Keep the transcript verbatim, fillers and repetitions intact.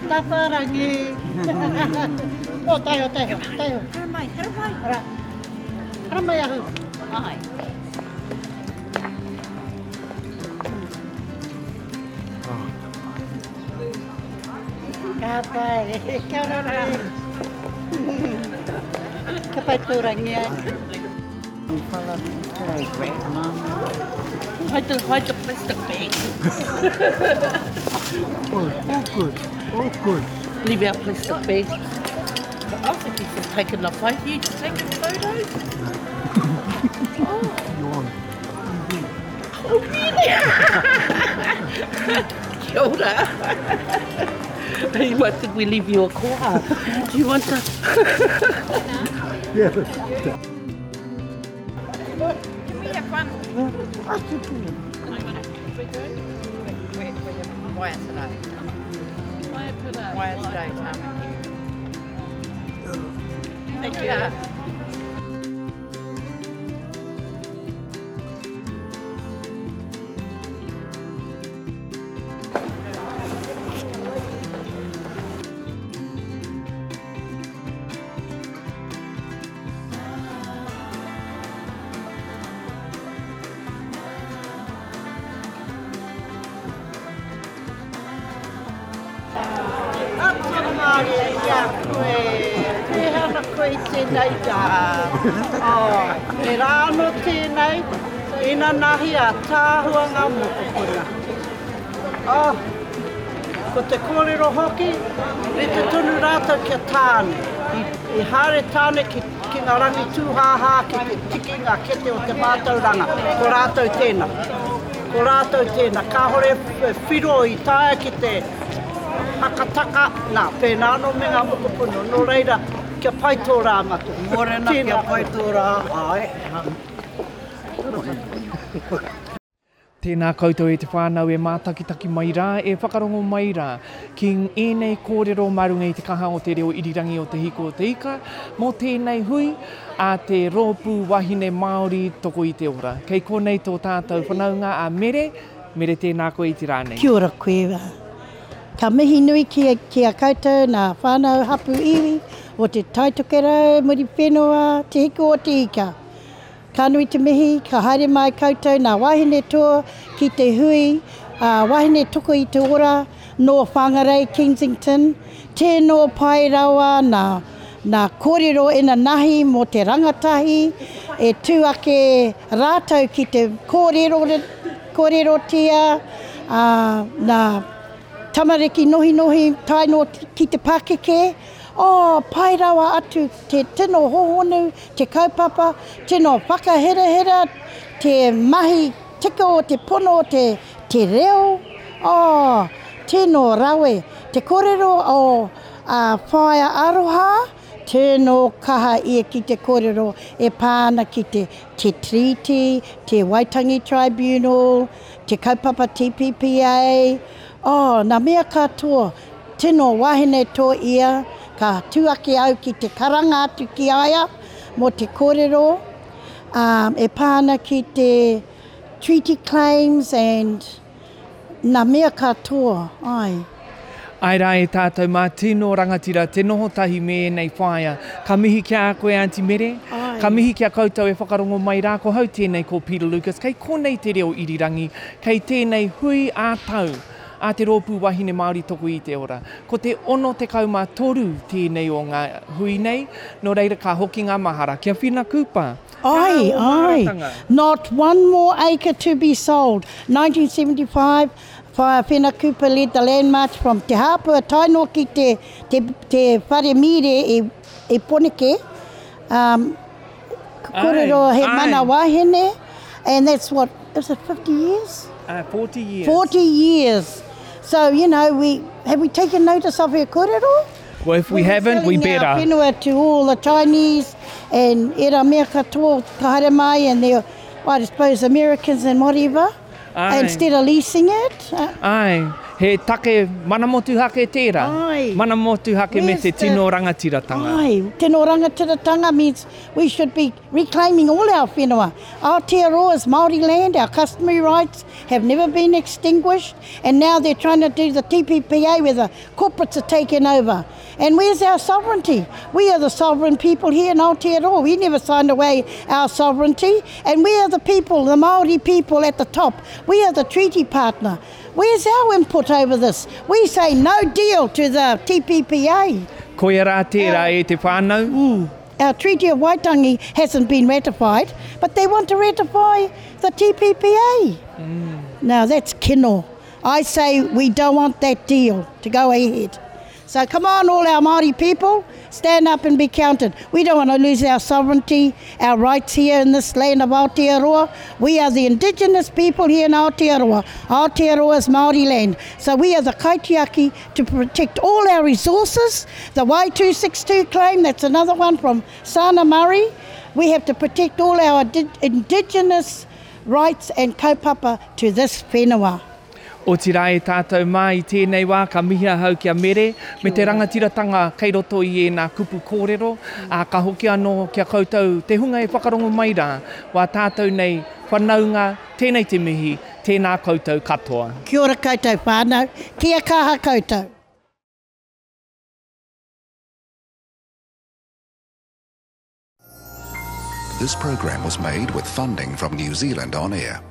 Tawharangi. O, taiho, taiho, taiho. Haramai, haramai. Ara. Haramai ahu. Ai. Ka pai. Kia ora rā. Ka pai tōrangi ai. Hide the, hide the plastic bag. Oh, all good, all good. Leave our plastic bag. I think he's just taking the photo. You just taking photos? Oh. You're on. Oh, really? Kia ora. You might think we leave you a koha. Do you want to? Yeah. Can we have one? Why today? Why today, Tamaki? Thank you. Ia koe, pēhana koe i tēnei rā. Oh, he rā anō tēnei, ina nahi a tāhua ngā mokopuna. Oh, ko te kōrero hoki, rite tonu rātou kia tāne. I, i haere tāne ki, ki ngā rangi tūhāhā, ki te tiki ngā kete o te mātauranga. Ko rātou tēnā. Ko rātou tēnā. Kāhore whiro i taea ki te hakataka, nā, pēnā anō me ngā mokopuna. Nō reira, kia pai tō rā matua. Mōrena, kia pai tō rā, ai. Tēnā koutou e te whānau e mātakitaki mai rā, e whakarongo mai rā, ki ēnei kōrero mā runga i te kaha o te reo irirangi o Te Hiko o Te Ika, mō tēnei hui a te Rōpū Wahine Māori Toko i te Ora. Kei konei tō tātou whanaunga a Mere, Mere tēnā koe i te rā nei. Kia ora koe. Ka mihi nui ki a, ki a koutou nā whānau hapu iwi o te Taitokerau, Muriwhenua, Te Hiko o Te Ika. Ka nui te mihi, ka haere mai koutou nā wahine toa ki te hui, uh, wahine toko i te ora, no Whangarei, Kensington. Tēnō pai rawa nā, nā kōrero ina nahi mō te rangatahi, e tū ake rātou ki te kōrero, kōrerotia, uh, nā tamariki nohi nohi tae no ki te pakeke. Oh, pai rawa atu te tino hohonu, te kaupapa, tino whakaherahera, te mahi tika o te pono o te, te reo. Oh, tino rawe. Te kōrero o uh, whaea aroha, tino kaha ia ki te kōrero e pāna ki te, te Treaty, te Waitangi Tribunal, te kaupapa T P P A. Oh, nā mea katoa, tino wahine tō ia, ka tū ake au ki te karanga atu ki aia mō te kōrero um, e pāna ki te treaty claims and nā mea katoa, ai. Ai rā e tātou mā tino rangatira, te noho tahi me ēnei whaea. Ka mihi ki a koe, Aunty Mere. Ai. Ka mihi ki a koutou e whakarongo mai rā, ko hau tēnei ko Peter Lucas. Kei konei te reo irirangi, kei tēnei hui ā tau a te Rōpū Wahine Māori Toko i te Ora. Ko te ono tekau mā toru tēnei o ngā hui nei, nō reira ka hoki ngā mahara. Kia Whina Cooper. Ai, Ka o ai. maharatanga. Not one more acre to be sold. nineteen seventy-five, Whaea Whina Cooper led the land march from Te Hāpua tae ki te, te, te whare mire e, e Poneke. Um, kōrero he Ai, mana ai. wahine, and that's what, is it fifty years? Uh, forty years. forty years. So, you know, we have we taken notice of her kōrero? Well, if we We were haven't, we selling our better. whenua to all the Chinese and era mea katoa ka haere mai and the, I suppose, Americans and whatever, Aye. instead of leasing it. Uh, Ai. He take mana motuhake tērā. Ai. Mana motuhake me Where's te the- tino rangatiratanga. Ai, tino rangatiratanga means we should be reclaiming all our whenua. Aotearoa is Māori land, our customary rights have never been extinguished, and now they're trying to do the T P P A where the corporates are taking over. And where's our sovereignty? We are the sovereign people here in Aotearoa. We never signed away our sovereignty. And we are the people, the Māori people at the top. We are the treaty partner. Where's our input over this? We say no deal to the T P P A. Koia rā tērā e te whānau. Mm. Our Treaty of Waitangi hasn't been ratified, but they want to ratify the T P P A. Mm. Now that's kino. I say we don't want that deal to go ahead. So come on, all our Māori people, stand up and be counted. We don't want to lose our sovereignty, our rights here in this land of Aotearoa. We are the indigenous people here in Aotearoa. Aotearoa is Māori land. So we are the kaitiaki to protect all our resources. The Y two six two claim, that's another one from Sana Murray. We have to protect all our indigenous rights and kaupapa to this whenua. O tira e tātou mā i tēnei wā, ka mihi ahau ki a Mere, me te rangatiratanga kei roto i ēnā kupu kōrero, ā, ka hoki anō kia koutou te hunga e whakarongo mai rā, wā tātou nei whanaunga, tēnei te mihi, tēnā koutou katoa. Kia ora koutou whānau, kia kaha koutou. This program was made with funding from New Zealand On Air.